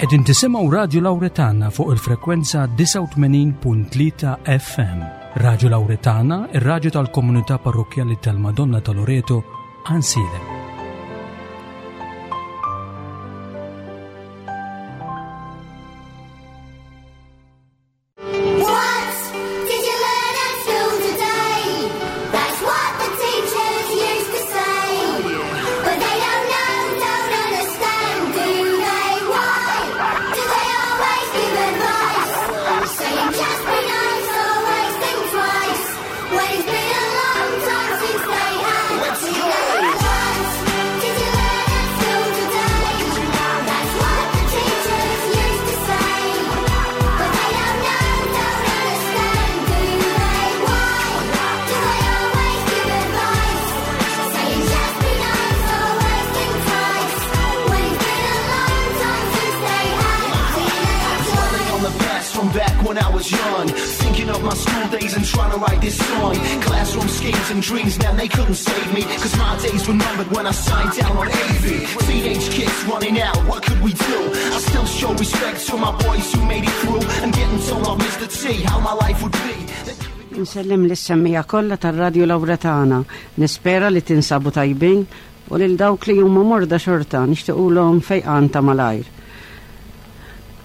Qegħdin tisimgħu Radju Lawretana fuq il-frekwenza 89.3 FM. Radju Lawretana, ir-radju tal-komunità parrokkjali tal-Madonna ta' Loreto, Ansilem. What did you learn at school today? That's what the teachers used to say. But they don't know, don't understand, do they? Why do they always give advice? Saying just be nice, always think twice. When it's been a long time since they had. What did you learn at school today? That's what the teachers used to say. But they don't know, don't understand, do they? Why do they always give advice? Saying just be nice, always think twice. When it's been a long time since they had Dwelling on the past from back when I was young. Thinking of my school days and trying to write this song. Classroom schemes and dreams, man, they couldn't save me. Cause my days were numbered when I signed down on AV. Teenage kids running out, what could we do? I still show respect to my boys who made it through. And getting told off Mr. T how my life would be. Insellem lis-semmiegħa kollha tar-Radju Lawretana. Nispera li tinsabu tajbin u lil dawk li huma morda xorta nixtiequlhom fejqan ta' malajr.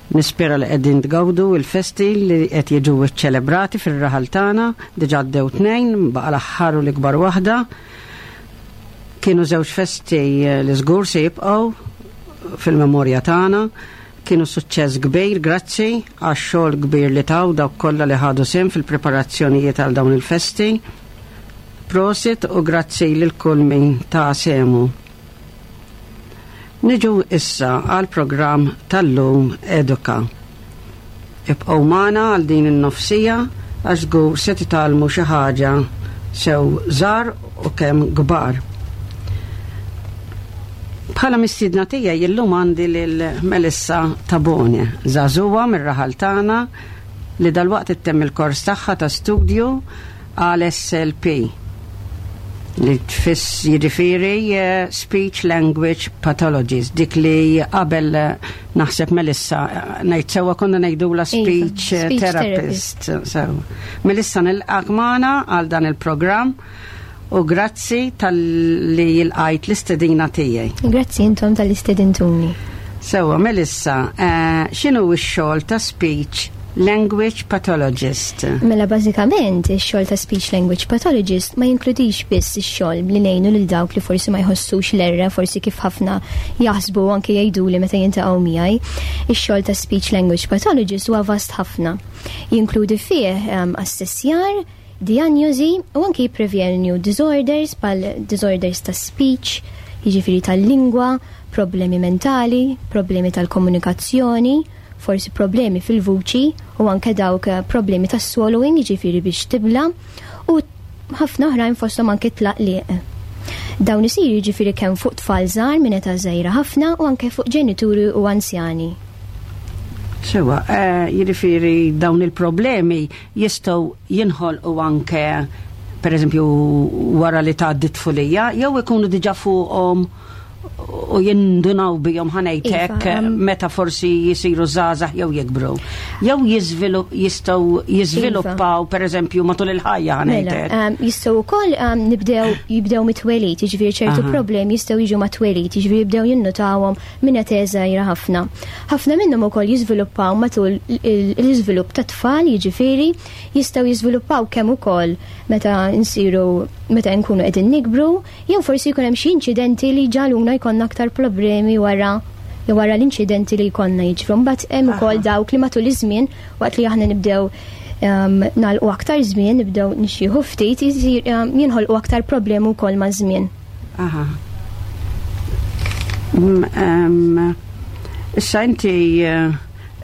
Nispera li qegħdin tgawdu il-festi li qed jiġu ċċelebrati fir-raħal tagħna, diġà għaddew tnejn, baqa' l-aħħar u l-ikbar waħda. Kienu żewġ festi li żgur se jibqgħu fil-memorja tagħna. Kienu suċċess kbir, grazzi għax-xogħol kbir li taw dawk kollha li ħadu sehem fil-preparazzjonijiet għal dawn il-festi. Prosit u grazzi lil kull min ta sehmu. Niġu issa għal programm tal-lum Eduka. Ibqgħu magħna għal din in-nofsija għax żgur se titgħallmu xi ħaġa sew żgħar u kemm kbar. Bħala mistiedna tiegħi illum għandi lil Melissa Tabone, żagħżugħa mir-raħal tagħna li dalwaqt ittemm il-kors tagħha ta' studju għal SLP li tfiss jiġifieri eh, Speech Language Pathologist, dik li qabel eh, naħseb Melissa eh, ngħid sewwa konna ngħidula Iva, speech, eh, speech therapist. So, Melissa nilqak magħna għal dan il-programm u grazzi talli lqajt l-istedina tiegħi. Grazzi intom talli stedintuni. Sewwa, Melissa, eh, x'inhu x-xogħol ta' speech language pathologist? Mela bażikament ix-xogħol ta' speech language pathologist ma jinkludix biss ix-xogħol li ngħinu lil dawk li forsi ma jħossux l-erra, forsi kif ħafna jaħsbu u anke jgħiduli meta jintaqgħu miegħi. Ix-xogħol ta' speech language pathologist huwa vast ħafna. Jinkludi fih um, assessjar, diagnosi u anke jipprevjenju disorders bħal disorders ta' speech, jiġifieri tal-lingwa, problemi mentali, problemi tal-komunikazzjoni, forsi problemi fil-vuċi u anke dawk eh, problemi tas swallowing, jiġifieri biex tibla, u ħafna oħrajn fosthom anke tlaqliq. Dawn isiru jiġifieri kemm fuq tfal żgħar minn età żgħira ħafna u anke fuq ġenituri u anzjani. Sewwa, eh, jiġifieri dawn il-problemi jistgħu jinħolqu anke per eżempju wara li tgħaddi tfulija, jew ikunu diġà fuqhom u jindunaw bihom ħa ngħidlek Iva, um, meta forsi jisiru żgħażagħ jew jikbru. Jew jiżvilupp jistgħu jiżviluppaw per eżempju matul il-ħajja Mela, ħa ngħidlek. um, jistgħu wkoll um, nibdew jibdew mit-twelid, jiġifieri ċertu problemi jistgħu jiġu mat-twelid, jiġifieri jibdew jinnotawhom minn età żgħira ħafna. Ħafna minnhom ukoll jiżviluppaw matul il- l-iżvilupp ta' tfal, jiġifieri jistgħu jiżviluppaw kemm ukoll meta nsiru meta nkunu qegħdin nikbru, jew forsi jkun hemm xi inċidenti li ġaluna jkollna aktar problemi wara jew wara l-inċidenti li jkollna jiġru. Mbagħad hemm ukoll dawk li matul iż-żmien waqt li aħna nibdew um, nagħlqu aktar żmien, nibdew nixjieħu ftit, jisir, um, jinħolqu aktar problemi wkoll maż-żmien. Aha. Mm, em, Issa inti eh,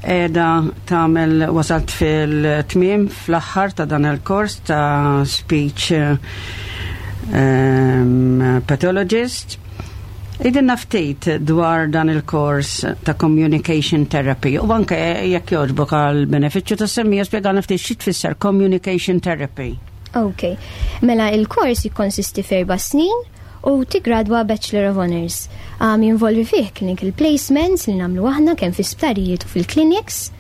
qiegħda tagħmel wasalt fil-tmiem fl-aħħar ta' dan il-kors ta' speech eh, em, pathologist. Għidilna ftit dwar dan il-kors ta' communication therapy u anke jekk jogħġbok għal benefiċċju tas-semmiegħa spjegana ftit xi tfisser communication therapy. Ok, mela il-kors jikkonsisti f'erba' snin. u tigradwa Bachelor of Honours. Jinvolvi fih clinical placements li nagħmlu aħna kemm fi sptarijiet u fil-clinics.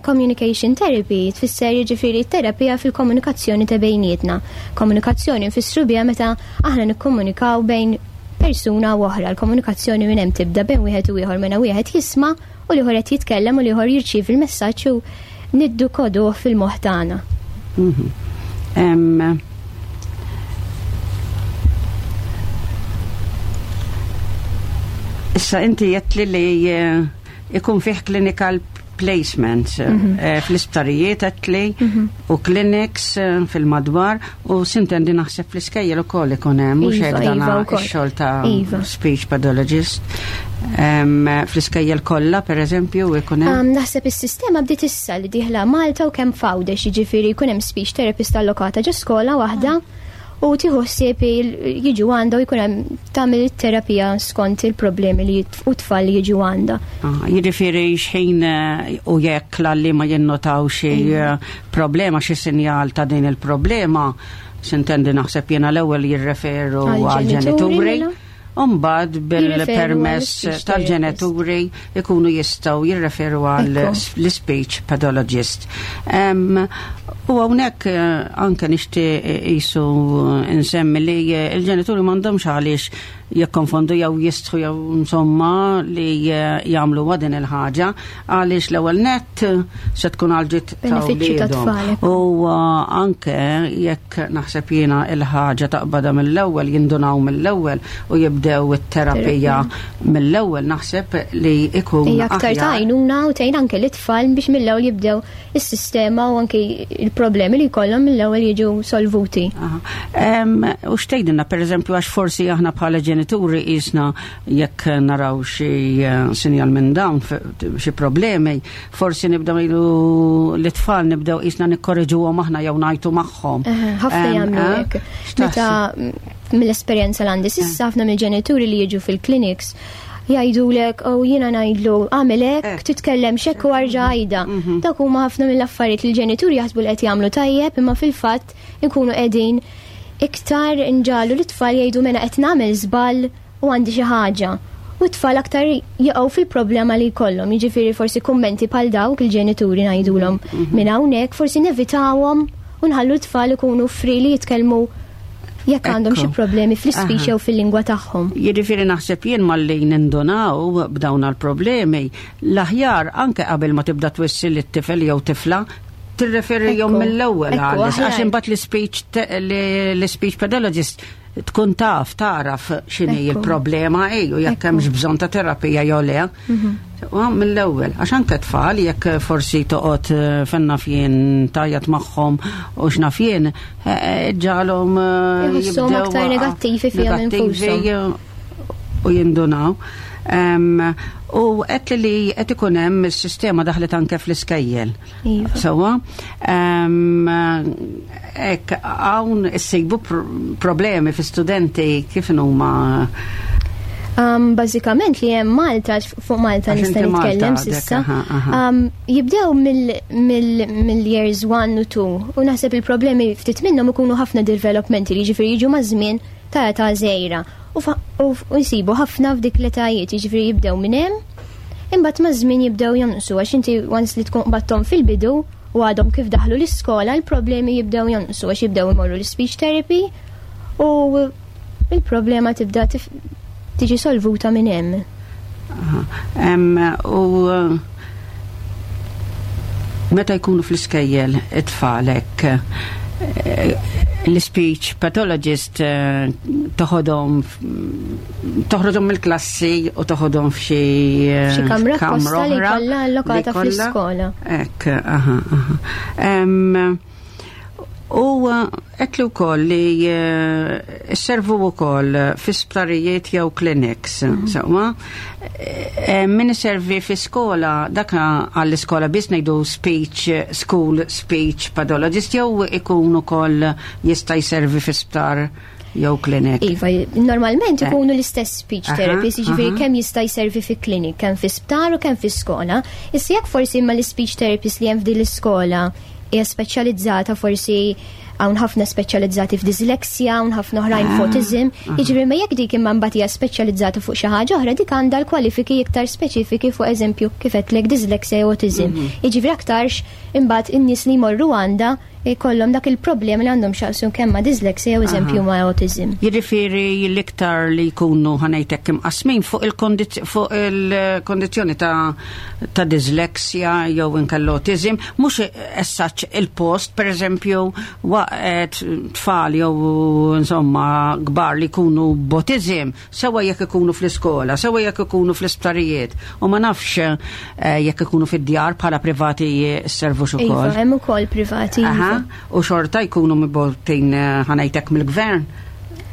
Communication therapy tfisser jiġifieri terapija fil-komunikazzjoni ta' bejnietna. Komunikazzjoni nfissru biha meta aħna nikkomunikaw bejn persuna u oħra. L-komunikazzjoni minn hemm tibda bejn wieħed u ieħor meta wieħed jisma' u l-ieħor qed jitkellem u l-ieħor jirċievi l-messaġġ u niddukoduh fil-moħħ tagħna. Issa inti għedtli li ikun fih clinical placements fl-isptarijiet għedtli u clinics fil-madwar u sintendi naħseb fl-iskejjel ukoll ikun hemm, mhux Iva, hekk dan iva, wkoll. ix-xogħol ta' Iva. speech pathologist. Fl-iskejjel kollha pereżempju ikun hemm? Naħseb is-sistema bdiet issa li dieħla Malta u kemm f'Għawdex, jiġifieri jkun hemm speech therapist allokata ġo skola waħda u tieħu ħsieb jiġu għandha u jkun hemm tagħmel it-terapija skont il-problemi li u tfal li jiġu għandha. Ah, jiġifieri xħin u jekk l-għalliema jinnotaw xi problema, xi sinjal ta' din il-problema, sintendi naħseb jiena l-ewwel jirreferu Għal-ġenituri, għal-ġenituri. mela? Umbad Jirreferu bil-permess għall-speech tal-ġenituri ikunu jistgħu jirreferu għal l-speech pathologist. U hawnhekk anke nixtieq qisu nsemmi li l-ġenituri m'għandhomx għaliex jikkonfondu jew jistħu jew insomma li jagħmlu din il-ħaġa, għaliex l-ewwel nett se tkun għal ġid ta' Benefiċċju ta' wliedhom. tfal, ekku. U anke jekk naħseb jiena il-ħaġa taqbadha mill-ewwel, jindunaw mill-ewwel u jibdew it-terapija mill-ewwel, naħseb li ikun Hija aktar aħjar. ta' għajnuna u tgħin anke l-itfal biex mill-ewwel jibdew is-sistema u anke il-problemi li jkollhom mill-ewwel jiġu solvuti. Aha. U x'tgħidilna pereżempju, għax forsi aħna bħala ġenituri qisna jekk naraw xi sinjal minn dawn, xi problemi, forsi nibdew ngħidu l-itfal nibdew qisna nikkorreġuhom aħna jew ngħajtu magħhom. Ħafna jagħmlu hekk. X'taħseb? Meta mill-esperjenza l għandi s'issa ħafna mill-ġenituri li jiġu fil-clinics jgħidulek, oh, jiena ngħidlu għamel hekk, titkellem xekk u arġa' għajda. Dak huma ħafna mill-affarijiet li l-ġenituri jaħsbu li qed jagħmlu tajjeb, imma fil-fatt inkunu qegħdin iktar nġalu l-itfal jgħidu mela qed nagħmel żball u għandi xi ħaġa. U t-tfal aktar jaqgħu fil-problema li jkollhom, jiġifieri forsi kummenti bħal dawk il-ġenituri ngħidulhom minn hawnhekk forsi nevitawhom u nħallu t-tfal ikunu free li jitkellmu jekk għandhom xi problemi fl-ispeech jew fil-lingwa tagħhom. Jiġifieri naħseb jien malli nindunaw b'dawn il-problemi, l-aħjar anke qabel ma tibda twissi lit-tifel jew tifla, tirreferi jom mill-ewwel għal għax imbagħad l-speech pathologist tkun taf taraf x'inhi il-problema ej u jekk hemmx bżonn ta' terapija jew le. U mill-ewwel, għax anke tfal jekk forsi toqgħod fenna fien tajjat magħhom u x'naf jien ġalhom Jħossuhom jibdew aktar negattivi fihom negattivi infushom. u jindunaw. U qed li qed ikun hemm is-sistema daħlet anke fl-iskejjel. Sewwa, hekk hawn issejbu problemi fi studenti kif huma? Bażikament li hemm Malta, fuq Malta Għax nista' inti Malta nitkellem għadek, s'issa. aha. Jibdew mill-years 1 u 2 u naħseb il-problemi ftit minnhom ikunu ħafna developmentali, jiġifieri jiġu maż-żmien ta' età żgħira. U jsibu ħafna f'dik l-etajiet, jiġifieri jibdew minn hemm, imbagħad maż-żmien jibdew jonqsu għax inti once li tkun qbadthom fil-bidu u għadhom kif daħlu l-iskola, l-problemi jibdew jonqsu għax jibdew imorru l-speech therapy u il-problema tibda tiġi solvuta minn hemm. Aha. U meta jkunu fl-iskejjel it-tfalek, l-speech pathologist toħroġhom mill-klassi u toħodhom f'xi F'xi kamra kamra apposta li oħra kollha allokata li kollha. fl-iskola. Ekk, aha, aha. U qed li wkoll li sservu wkoll fi sptarijiet jew clinics, sewwa. Min iservi fi skola, dak għall-iskola biss ngħidu speech school speech pathologist jew ikun ukoll jista' jservi fi sptar jew clinic? Iva, normalment ikunu l-istess speech therapist, jiġifieri kemm jista' jservi fi clinic, kemm fi sptar u kemm fi skola. Issa jekk forsi imma l-speech therapist li hemm f'din l-iskola hija speċjalizzata forsi Hawn ħafna speċjalizzati f'dysleksja, hawn ħafna oħrajn f'autism. Jiġifieri ma jekk dik imma mbagħad hija speċjalizzata fuq xi ħaġa oħra, dik għandha l-kwalifiki iktar speċifiki fuq eżempju kif għedtlek dyslexia jew autism. Jiġifieri aktarx imbagħad in-nies li jmorru għandha jkollhom dak il-problemi li għandhom x'jaqsmu kemm ma' dyslexia jew eżempju ma' autism. Jiġifieri l-iktar li jkunu ħa ngħidlek imqasmin fuq il-kondizzjoni ta' dyslexia jew inkella autism, mhux essaċ il-post, per eżempju, waqt tfal jew insomma kbar li jkunu b'autism, sewa jekk ikunu fl-iskola, sewa jekk ikunu fl-isptarijiet, u ma nafx jekk ikunu fid-djar bħala privati servu Iva, ukoll. hemm ukoll privati. Iva. U xorta jkunu mibgħutin ħa ngħidlek mill-gvern.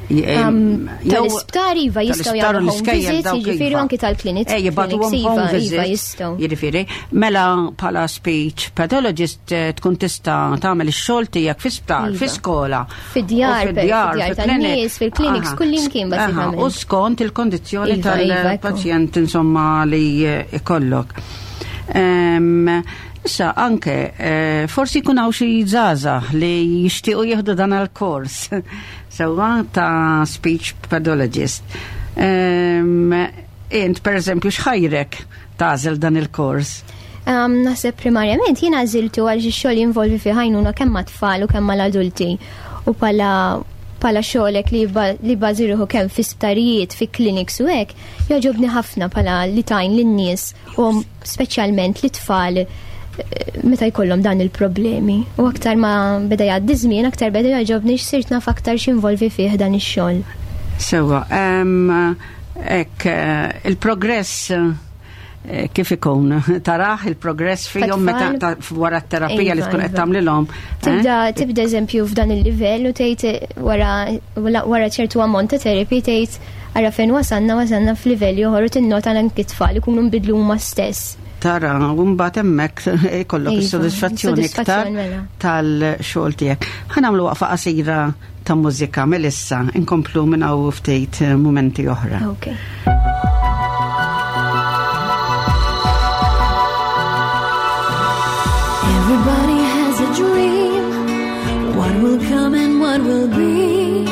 Tal-isptar iva jistgħu tal-isptar u jagħmlu home l-iskejjel visits, dawk jiġifieri iva. anki tal-clinics. Jibagħtuhom Clinics, home iva, iva, visits. jistgħu. Jiġifieri, mela bħala speech pathologist tkun tista' tagħmel ix-xogħol tiegħek fi sptar, Iva. fi skola. Fid-djar, U fid-djar, fid-djar fil-clinic. tan-nies, fil-clinics, kullimkien bażikament. U skont il-kondizzjoni Iva, iva, ekku. tal-pazjent insomma li ikollok. Issa anke forsi jkun hawn xi żgħażagħ li jixtiequ jieħdu dan il-kors sewwa ta' speech pathologist. Int per eżempju x'ħajrek tagħżel dan il-kors? Naħseb primarjament jiena għażiltu għal xi xogħol jinvolvi fi ħajnuna kemm mat-tfal u kemm mal-adulti. U pala xogħolek li bażi ruħu kemm fi sptarijiet, fi clinics u hekk, jogħġobni ħafna pala li tajn lin-nies u speċjalment li tfal meta jkollhom dan il-problemi. U aktar ma beda jgħaddi żmien, aktar beda jogħġobni x'sirt naf aktar x'involvi fih dan ix-xogħol. Sewwa, hekk il-progress kif ikun? Taraħ il-progress fihom meta Tat-tfal? wara t-terapija li Iva, tkun qed iva. tagħmlilhom, eh? Tibda eżempju f'dan il-livell u tgħid wara ċertu ammont ta' therapy tgħid ara fejn wasalna, wasalna f'livell ieħor u tinnota anke t-tfal ikunu nbidlu huma stess. Tara, u mbagħad hemmhekk ikollok Iva, is-sodisfazzjoni iktar sodisfazzjon mela. tal-xogħol tiegħek. Ħa nagħmlu waqfa qasira ta' mużika Melissa, inkomplu minn hawn ftit mumenti oħra. Okay. Everybody has a dream. What will come and what will be,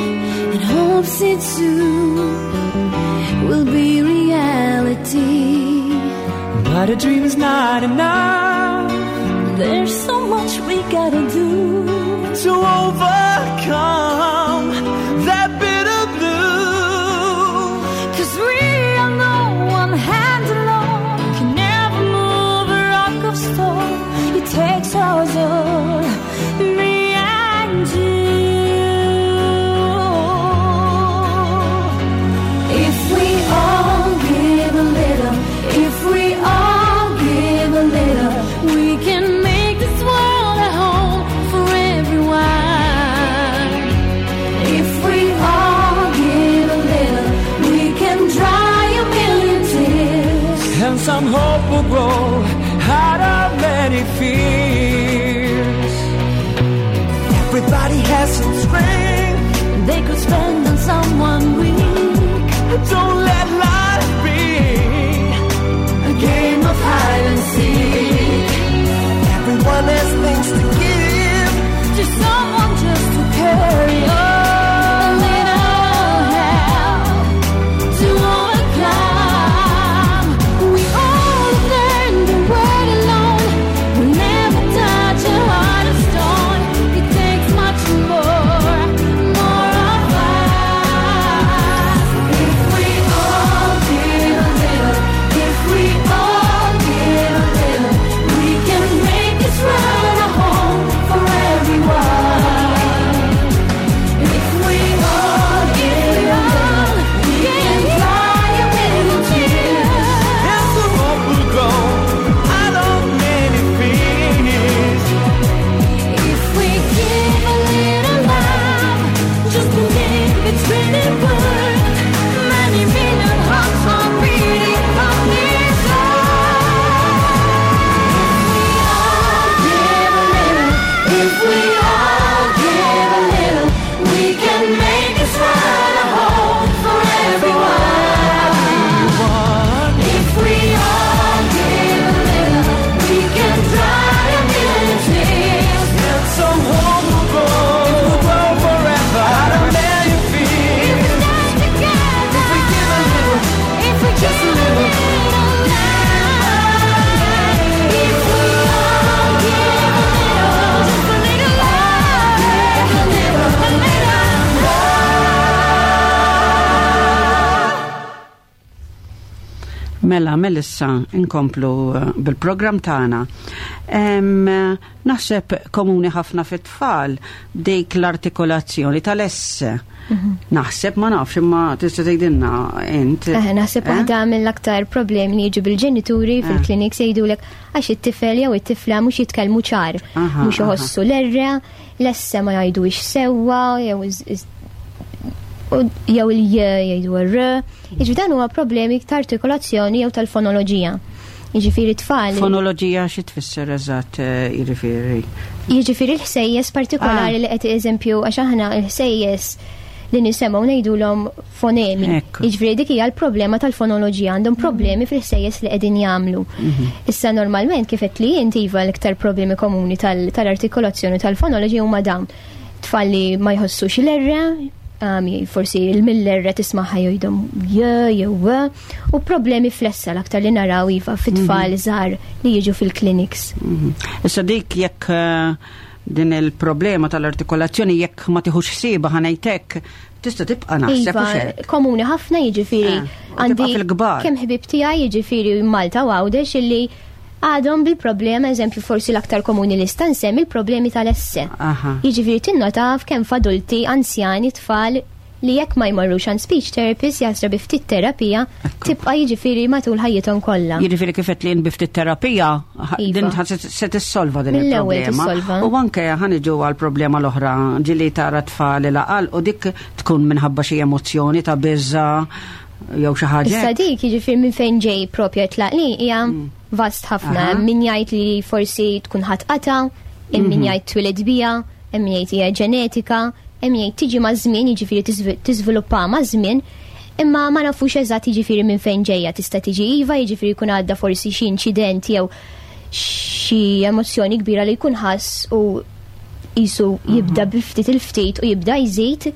and hopes it soon will be reality. But a dream is not enough. There's so much we got to do to overcome that bitter blue. Because we all know one hand alone can never move a rock of stone. It takes us all, me and you. If we all give a little, if we all give a little, we can make this world a home for everyone. Mela, Melissa, inkomplu eh, bil-programm tagħna. Naħseb komuni ħafna fit-tfal dik l-artikolazzjoni tal-esse. Naħseb ma nafx imma tista' tgħidilna int. Eh, naħseb Eh? waħda mill-aktar problemi li jiġu bil-ġenituri fil-clinics jgħidulek għax it-tifel jew it-tifla mhux jitkellmu ċar, mhux iħossu l-erre, l-esse ma jgħidux sewwa, jew jew il-j jgħidu r. Jiġifieri dan huwa problemi ta' artikolazzjoni jew tal-fonoloġija. Jiġifieri tfal. Fonoloġija xi tfisser eżatt eh, jiġifieri? Jiġifieri l-ħsejjes partikolari li qed eżempju għax aħna l-ħsejjes li nisemgħu ngħidulhom fonemi. Jiġifieri dik hija l-problema tal-fonoloġija, għandhom problemi fil-ħsejjes li qegħdin jagħmlu. Issa normalment kif qed li inti iva l-iktar problemi komuni tal-artikolazzjoni tal-fonoloġija huma dawn. Tfal li ma jħossux l-erre, forsi il-mill-erre tismaħħa jgħidhom j jew u problemi flessa l-aktar li naraw iva fit-tfal żgħar li jiġu fil-clinics. Issa dik jekk eh, din il-problema tal-artikolazzjoni jekk ma tiħux ħsieba ħanejtek tista' tibqa' naħseb Iva, komuni ħafna jiġifieri Eh, għandi fil-kbar. Kemm ħbib tiegħi jiġifieri Malta u Għawdex illi għadhom bil-problema, eżempju forsi l-aktar komuni li sta nsemmi il-problemi tal-esse. Jiġifieri tinnota f'kemm f'adulti, anzjani, tfal li jekk ma jmorrux għand speech therapist jasra bi ftit terapija tibqa' jiġifieri matul ħajjithom kollha. Jiġifieri kif qed li bi ftit terapija Iva. din se tissolva din Mill-ewwel il-problema. tissolva. U anke ħaniġu għal problema l-oħra ġili tara tfal laqal u dik tkun minħabba xi emozzjoni ta' biża jew xi ħaġa. Issa dik jiġifieri minn fejn ġej propja tlaq li hija vast ħafna. Min jgħid li forsi tkun ħadd qata, hemm min jgħid twiled bija, hemm min jgħid hija ġenetika, hemm min jgħid tiġi maż-żmien, jiġifieri tiżviluppa maż-żmien, imma ma nafux eżatt jiġifieri minn fejn ġejja tista' tiġi iva, jiġifieri jkun għadda forsi xi inċident jew xi emozzjoni kbira li jkun ħass u jisu jibda bi ftit il-ftit u jibda jżid,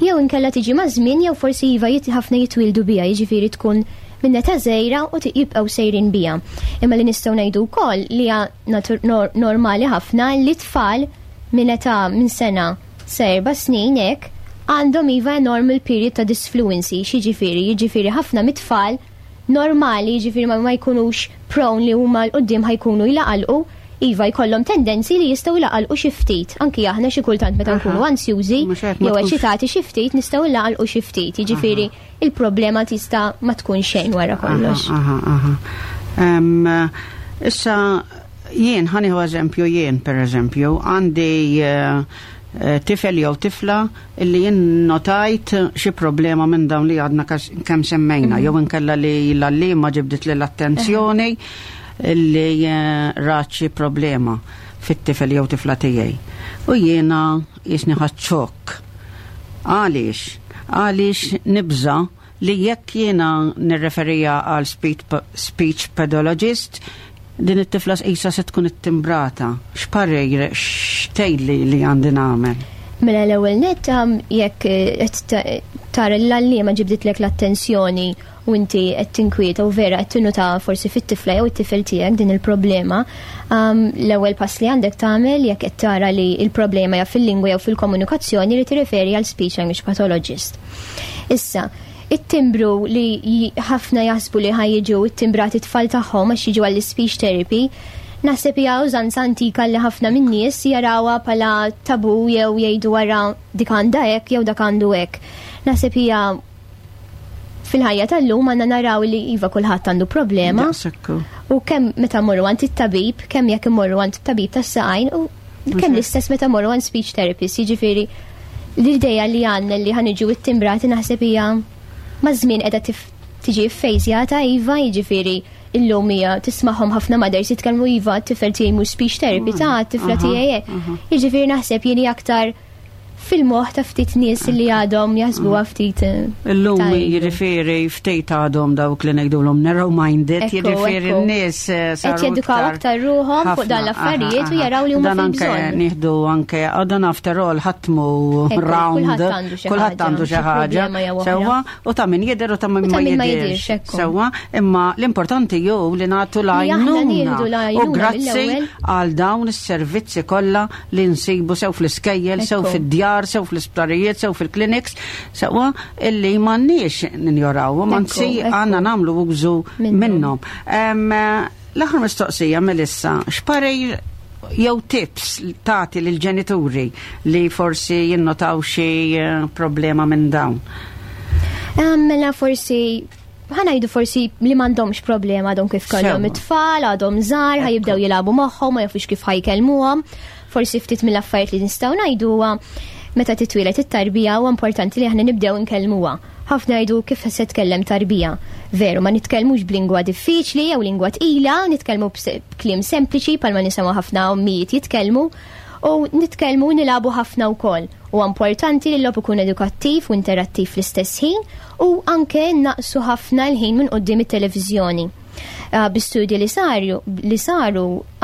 jew inkella tiġi ma' żmien jew forsi iva ħafna jitwildu bija, jiġifieri tkun minn età żgħira u jibqgħu sejrin bija. Imma li nistgħu ngħidu wkoll li hija normali ħafna li tfal minn età minn sena sa 4 snin hekk għandhom iva normal period ta' disfluency, x'jiġifieri, jiġifieri ħafna mit-tfal normali, jiġifieri ma jkunux prone li huma 'l quddiem ħajkunu jlaqalqu, iva jkollhom tendenzi li jistgħu jlaqalqu xi ftit. Anki aħna xi kultant meta nkunu ansjużi Mhux hekk, ma jew tkunx- eċitati xi ftit nistgħu nlaqalqu xi ftit. Jiġifieri il-problema tista' ma tkun xejn wara kollox. Issa jien ħaniħu eżempju jien per eżempju għandi eh, tifel jew tifla illi jien notajt xi problema minn dawn li għadna kemm semmejna jew inkella li l-għalliema ġibdit li l-attenzjoni illi eh, rat xi problema fit-tifel jew tifla tiegħi. U jiena jisni ħadt xokk. Għaliex? Għaliex nibża li jekk jiena nirreferija għal speech pathologist, din it-tifla qisha se tkun ittimbrata. X'parir x'tgħidli li għandi nagħmel? Mela l-ewwel nett jekk eh, qed tara l-għalliema ġibditlek l-attenzjoni u inti qed tinkwieta u vera qed tinnota forsi fit-tifla jew it-tifel tiegħek din il-problema, l-ewwel pass li għandek tagħmel jekk qed tara li l-problema hija fil-lingwa jew fil-komunikazzjoni li tirreferi għal speech language pathologist. Issa, it-timbru li ħafna jaħsbu li ħajġu it-timbrati tfal tagħhom għax jiġu għall-speech therapy, naħseb hija użanza antika li ħafna min-nies jarawha bħala tabu jew jgħidu wara dik għandha hekk jew dak għandu hekk. Naħseb hija fil-ħajja tal-lum għandna naraw li iva kulħadd għandu problema. Daqshekk. U kemm meta mmorru għand it-tabib, kemm jekk immorru għand it-tabib tas-saqajn u kemm l-istess meta mmorru għand speech therapist, jiġifieri l-idea li għandna li ħaniġu it-timbrati naħseb hija maż-żmien qiegħda tiġi ffejżjata iva, jiġifieri illum hija tismagħhom ħafna mothers jitkellmu iva t-tifel tiegħi mhux speech therapy ta' t-tifla tiegħi hekk. Jiġifieri naħseb jien hija aktar fil-moħħ ta' ftit nies li għadhom jaħsbuha ftit, eh, Illum tajbu. jiġifieri ftit għadhom dawk li ngħidulhom narrow-minded, jiġifieri n-nies, eh, Qed saru jedukaw aktar ruħhom fuq ħafna, dan l-affarijiet u jaraw li huma Dan anke fil-bżonn. nieħdu anke, oh, dan after all ħatmu Ekku, round, kulħadd għandu xi kulħadd ħaġa, għandu xi xi ħaġa. problema jew oħra. Sewwa, u ta' min jidher u ta' min U ta' ma min ma jidhirx. jidhirx, ekku. Sewwa, imma l-importanti ju li nagħtu Li aħna l-għajnuna. nieħdu U l-għajnuna grazzi mill-ewwel. għal dawn is-servizzi kollha li nsibu sew fl-iskejjel, sew fid-djar. fid-dar, sew fl-isptarijiet, sew fil-clinics, sewwa illi m'għandniex ninjorawhom, anzi għandna nagħmlu użu minnhom. L-aħħar mistoqsija, Melissa, x'parir jew tips tagħti lill-ġenituri li forsi jinnotaw xi problema minn dawn? Mela forsi ħa ngħidu forsi li m'għandhomx problema, għadhom kif kellhom it-tfal, għadhom żgħar, ħa jibdew jilagħbu magħhom, ma jafux kif ħa jkellmuhom. Forsi ftit mill-affarijiet li nistgħu ngħidu huwa meta titwieled it-tarbija huwa importanti li aħna nibdew inkellmuha. Ħafna jgħidu kif se tkellem tarbija. Veru, ma nitkellmux b'lingwa diffiċli jew lingwa tqila, nitkellmu b'kliem sempliċi bħalma nisimgħu ħafna ommijiet jitkellmu u nitkellmu nilagħbu ħafna wkoll. Huwa importanti li l-logħob ikun edukattiv u interattiv fl-istess ħin u anke naqsu ħafna l-ħin minn quddiem it-televiżjoni. Bi studji li saru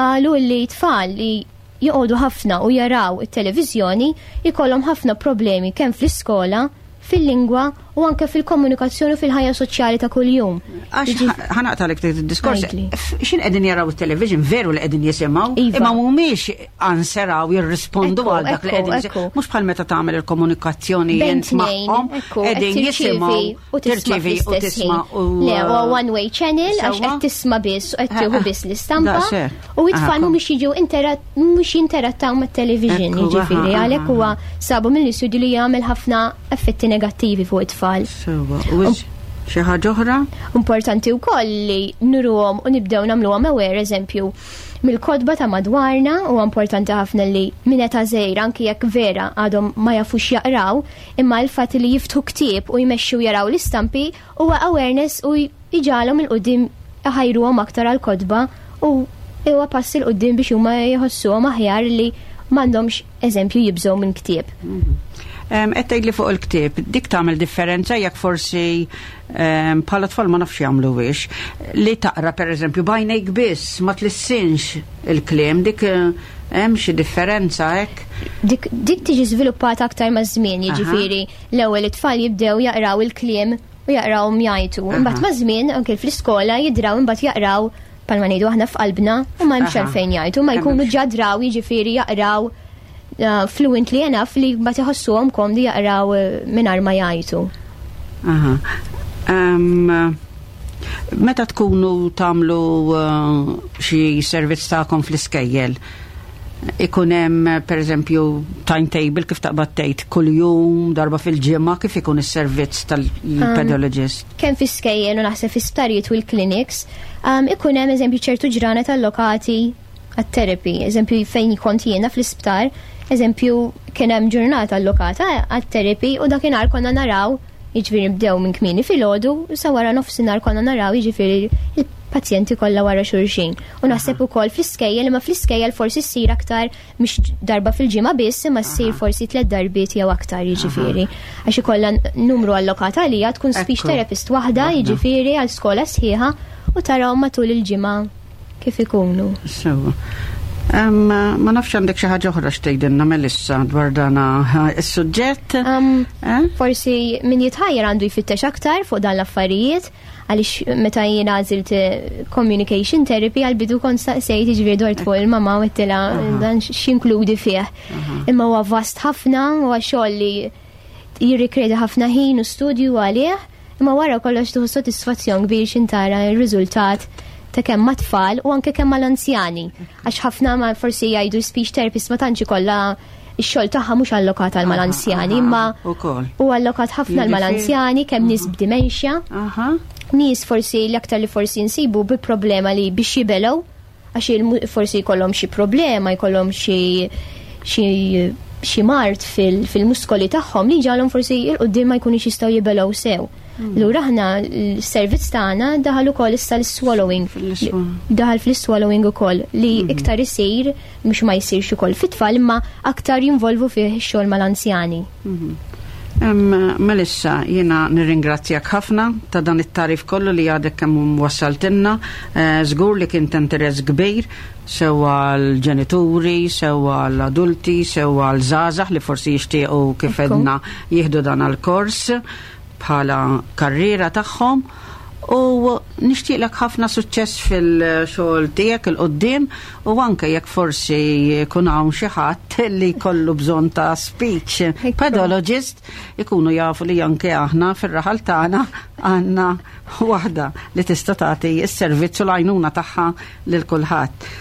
qalu li tfal li joqogħdu ħafna u jaraw it-televiżjoni jkollhom ħafna problemi kemm fl-iskola, fil-lingwa u anke fil-komunikazzjoni u fil-ħajja soċjali ta' kuljum. Għax ħa naqtagħlek id-diskors. X'ħin qegħdin jaraw it-television veru li qegħdin jisimgħu, imma mhumiex answeraw jirrispondu għal dak li qegħdin jisimgħu. Mhux bħal meta tagħmel il-komunikazzjoni Bejn jent tnejn, magħhom, ekku, qed qegħdin tirċievi jisimgħu u tisma' tirċievi u fl-istess tisma' ħin. u Le, huwa one way channel għax qed tisma' biss u qed tieħu biss l-istampa. Daqshekk. U it-tfal mhumiex jiġu mhux jinterattaw mat-television, jiġifieri, għalhekk huwa sabu mill-istudju li jagħmel ħafna effetti negattivi fuq it-tfal. Sewwa, u xi ħaġa oħra? Importanti wkoll li nuruhom u nibdew nagħmluhom aware, eżempju, mill-kotba ta' madwarna, u importanti ħafna li minn età żgħira, anki jekk vera għadhom ma jafux jaqraw, imma l-fatt li jiftħu ktieb u jmexxu jaraw l-istampi huwa awareness u jġagħalhom 'il quddiem iħajruhom aktar għal-kotba u huwa pass 'il quddiem biex huma jħossuhom aħjar li m'għandhomx eżempju jibżgħu minn ktieb. Qed tgħidli fuq il-ktieb, dik tagħmel differenza jekk forsi bħala tfal ma nafx jagħmlu wiex li taqra pereżempju b'għajnejk biss ma tlissinx il-kliem, dik hemm xi differenza hekk? Dik tiġi żviluppata aktar maż-żmien, jiġifieri l-ewwel it-tfal jibdew jaqraw il-kliem u jaqraw jgħajtu. Imbagħad maż-żmien anke fl-iskola jidraw imbagħad jaqraw bħalma ngħidu aħna f'qalbna u ma hemmx għalfejn jgħajtu, ma jkunu ġa draw jiġifieri jaqraw fluently enough li ma tħossuhom komdi jaqraw mingħajr ma jgħajtu. Meta tkunu tagħmlu xi servizz tagħkom fl-iskejjel, ikun hemm pereżempju timetable kif taqbad tgħid kuljum, darba fil-ġimgħa, kif ikun is-servizz tal-pedologist? Kemm fl-iskejjel u naħseb fl-isptarijiet u l-clinics, ikun hemm eżempju ċertu ġranet allokati għat-therapy. Eżempju fejn kont jiena fl-isptar, eżempju kien hemm ġurnata allokata għat-therapy u dakinhar konna naraw, jiġifieri nibdew minn kmieni filgħodu sa wara nofsinhar konna naraw jiġifieri il-pazjenti kollha wara xulxin. U naħseb ukoll fl-iskejjel, imma fl-iskejjel forsi ssir aktar mhux darba fil-ġimgħa biss, imma ssir forsi 3 darbiet jew aktar jiġifieri. Għax ikollha numru allokat għalija tkun speech therapist waħda jiġifieri għal skola sħiħa u tarawhom matul il-ġimgħa kif ikunu. Sewwa. Ma nafx għandek xi ħaġa oħra x'tgħidilna Melissa dwar dan is-suġġett? Forsi min jitħajjar għandu jfittex aktar fuq dan l-affarijiet, għaliex meta jiena għażilt communication therapy għal-bidu kont staqsejt jiġifieri dort fuq il-mama u għedtilha dan x'inkludi fih. Imma huwa vast ħafna, huwa xogħol li jirrikjedi ħafna ħin u studju għalih, imma wara kollox tieħu sodisfazzjon kbir x'intara r-riżultat ta' kemm ma' tfal u anke kemm mal-anzjani. Għax ħafna ma forsi jgħidu speech therapist ma tantx ikollha ix-xogħol tagħha mhux allokat għal mal-anzjani, imma u allokat ħafna għal mal-anzjani, kemm nies b'dementia, nies forsi l-aktar li forsi nsibu bi problema li biex jibelgħu, għax forsi jkollhom xi problema, jkollhom xi mard fil-muskoli tagħhom li ġalhom forsi 'il quddiem ma jkunux jistgħu jibelgħu sew. Lura aħna l-servizz tagħna daħal ukoll issa l-swallowing. Daħal fl-swallowing ukoll li iktar isir, mhux ma jsirx ukoll fit-tfal, imma aktar jinvolvu fih ix-xogħol mal-anzjani. Melissa, jiena nirringrazzjak ħafna ta' dan it-tarif kollu li għadek kemm wassaltilna. Żgur li kien ta' interess kbir sewa l-ġenituri, sewa l-adulti, sewa l-żgħażagħ li forsi jixtiequ kif edna jieħdu dan għal-kors bħala karriera tagħhom. U nixtieqlek ħafna suċċess fil-xogħol tiegħek 'il quddiem u anke jekk forsi jkun hawn xi ħadd li jkollu bżonn ta' speech pathologist ikunu jafu li anke aħna fir-raħal tagħna għandna waħda li tista' tagħti s-servizz u l-għajnuna tagħha lil kulħadd.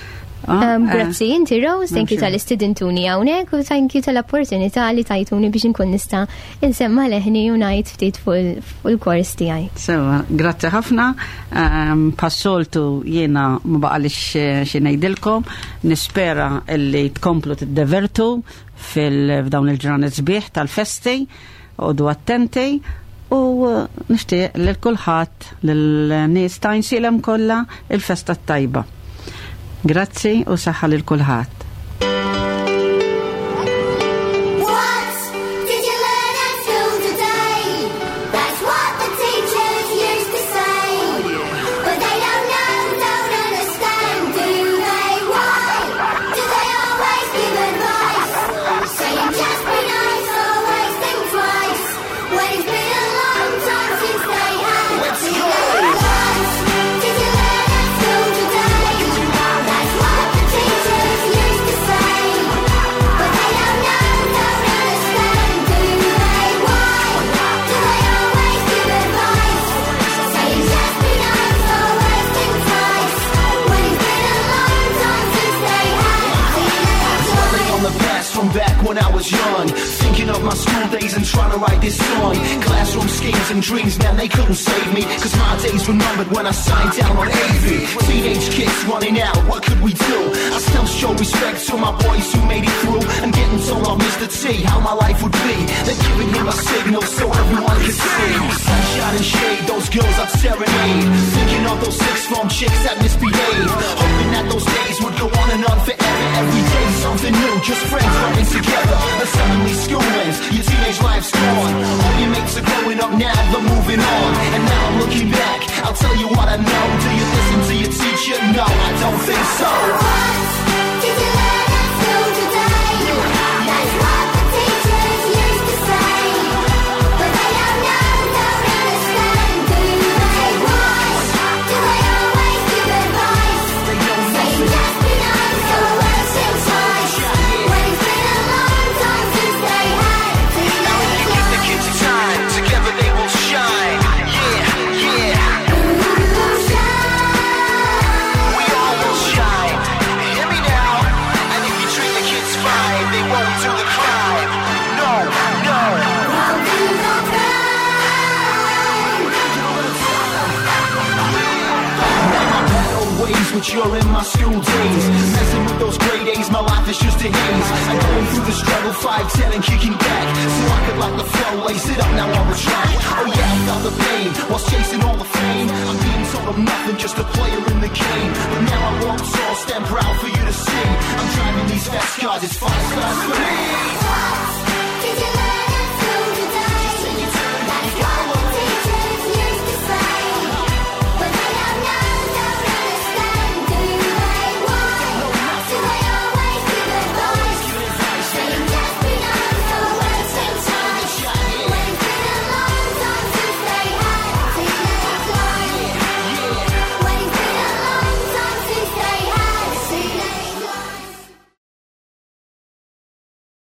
Ah, grazzi inti Rose, thank you tal-istidintuni hawnhekk u thank you tal-opportunità li tajtuni biex inkun nista' insemma leħni u ngħid ftit fuq il-kors tiegħi. Sewa, grazzi ħafna. Passoltu jiena ma baqalix eh, xi ngħidilkom, nispera li tkomplu tiddevertu fil-f'dawn il-ġranet sbieħ tal-festi, għodu attenti u eh, nixtieq lil kulħadd lil-nies ta' Għajnsielem kollha il-festa t-tajba. Grazzi u saħħa lil kulħadd. What did you learn at school today? That's what the teachers used to say. But they don't know, don't understand, do they? Why do they always give advice? Saying just be nice, always think twice. When it's been a long time since they had Let's to go! What did you learn at school today? That's what the teachers used to say. But they don't know, don't understand, do they? Why do they always give advice? Saying just be nice, always think twice. When it's been a long time since they had Dwelling on the past from back when I was young. Thinking of my school days and trying to write this song. Classroom schemes and dreams, man, they couldn't save me. Cause my days were numbered when I signed down on AV. Teenage kids running out, what could we do? I still show respect to my boys who made it through. And getting told off Mr. T how my life would be. They're giving him a signal so everyone could see. Sunshine and shade, those girls I'd serenade. Thinking of those six form chicks that misbehaved. Hoping that those days would go on and on forever. Every day something new, just friends running together. And suddenly school ends, your teenage life's gone. All your mates are growing up now, they're moving on. And now I'm looking back, I'll tell you what I know. Do you listen to your teacher? No, I don't think so. What did you learn at school today? That's what the teachers used to say. But they don't know, don't understand, do they? Why do they always give advice? They know Saying nothing. just be nice, always think twice. When it's been a long time since they had Now if you teenage give the kids time, together they will shine. Yeah, yeah, we all will shine. Hear me now. And if you treat the kids fine, they won't do the crime. No, no. Won't do the crime. Now my bad old ways, which you're in my school days. Messing with those grade A's, my life is just a haze. I'm going through the struggle, 5'10 and kicking back. So I could like the flow, lace it up now on the track. Oh yeah, I felt the pain whilst chasing all the fame. I'm being told I'm nothing, just a player in the game. But now I walk tall, stand proud for you to see. I'm driving these fast cars, it's 5 stars for me.